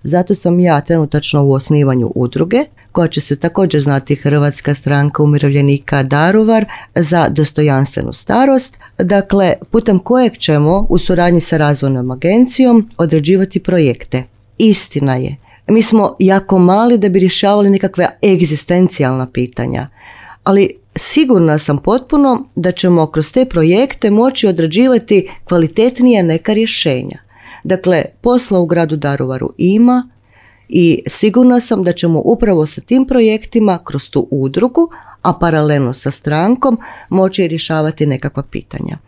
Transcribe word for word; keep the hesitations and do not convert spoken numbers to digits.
Zato sam ja trenutačno u osnivanju udruge koja će se također znati Hrvatska stranka umirovljenika Daruvar za dostojanstvenu starost, dakle putem kojeg ćemo u suradnji sa razvojnom agencijom određivati projekte. Istina je, mi smo jako mali da bi rješavali nekakve egzistencijalna pitanja, ali sigurna sam potpuno da ćemo kroz te projekte moći određivati kvalitetnije neka rješenja. Dakle, posla u gradu Daruvaru ima i sigurna sam da ćemo upravo sa tim projektima kroz tu udrugu, a paralelno sa strankom, moći rješavati nekakva pitanja.